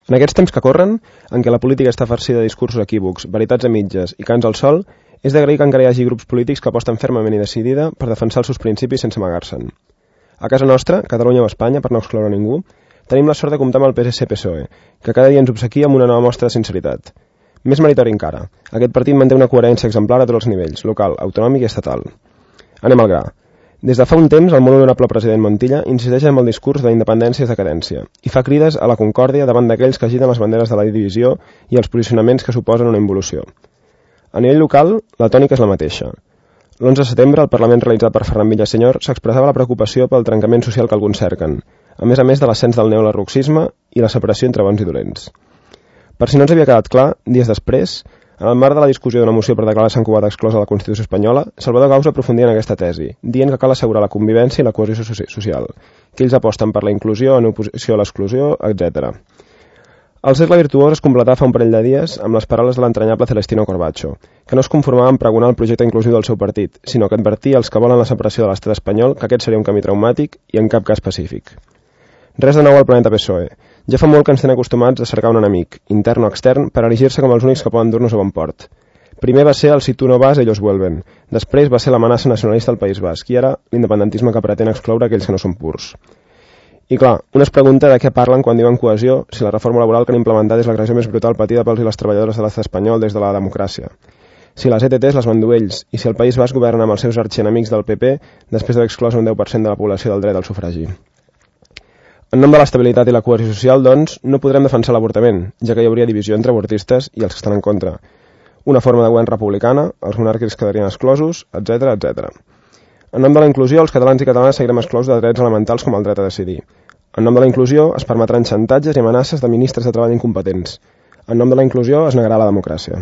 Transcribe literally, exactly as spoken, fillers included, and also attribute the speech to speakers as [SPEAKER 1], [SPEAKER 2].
[SPEAKER 1] En aquests temps que corren, en què la política està farcida de discursos equívocs, veritats a mitges i cants al sol, és d'agrair que encara hi hagi grups polítics que aposten fermament i decidida per defensar els seus principis sense amagar-se'n. A casa nostra, Catalunya o Espanya, per no excloure ningú, tenim la sort de comptar amb el P S C P S O E, que cada dia ens obsequia amb una nova mostra de sinceritat. Més meritori encara, aquest partit manté una coherència exemplar a tots els nivells, local, autonòmic i estatal. Anem al gra. Des de fa un temps, el molt honorable president Montilla insisteix en el discurs de la independència és decadència i fa crides a la concòrdia davant d'aquells que agiten les banderes de la divisió i els posicionaments que suposen una involució. A nivell local, la tònica és la mateixa. l'onze de setembre, el Parlament realitzat per Ferran Villasenyor s'expressava la preocupació pel trencament social que alguns cerquen, a més a més de l'ascens del neolarruxisme i la separació entre bons i dolents. Per si no ens havia quedat clar, dies després, en el marc de la discussió d'una moció per declarar Sant Cugat exclosa de la Constitució espanyola, Salvador Gausa aprofundia en aquesta tesi, dient que cal assegurar la convivència i la cohesió social, que ells aposten per la inclusió en oposició a l'exclusió, etcètera. El cercle virtuós es completà fa un parell de dies amb les paraules de l'entranyable Celestino Corbacho, que no es conformava en pregonar el projecte inclusiu del seu partit, sinó que advertia als que volen la separació de l'estat espanyol que aquest seria un camí traumàtic i en cap cas pacífic. Res de nou al planeta P S O E. Ja fa molt que ens tenen acostumats a cercar un enemic, intern o extern, per erigir-se com els únics que poden dur-nos a bon port. Primer va ser el si tu no vas, ellos vuelven. Després va ser l'amenaça nacionalista al País Basc i ara l'independentisme que pretén excloure aquells que no són purs. I clar, una es pregunta de què parlen quan diuen cohesió si la reforma laboral que han implementat és l'agressió més brutal patida pels i les treballadores de l'estat espanyol des de la democràcia. Si les E T Ts les van dur ells i si el País Basc governa amb els seus arxienemics del P P després d'haver exclòs un deu per cent de la població del dret al sufragi. En nom de l'estabilitat i la cohesió social, doncs, no podrem defensar l'avortament, ja que hi hauria divisió entre avortistes i els que estan en contra. Una forma de govern republicana, els monàrquics quedarien exclosos, etcètera, etcètera. En nom de la inclusió, els catalans i catalanes seguirem exclosos de drets elementals com el dret a decidir. En nom de la inclusió, es permetran xantatges i amenaces de ministres de treball incompetents. En nom de la inclusió, es negarà la democràcia.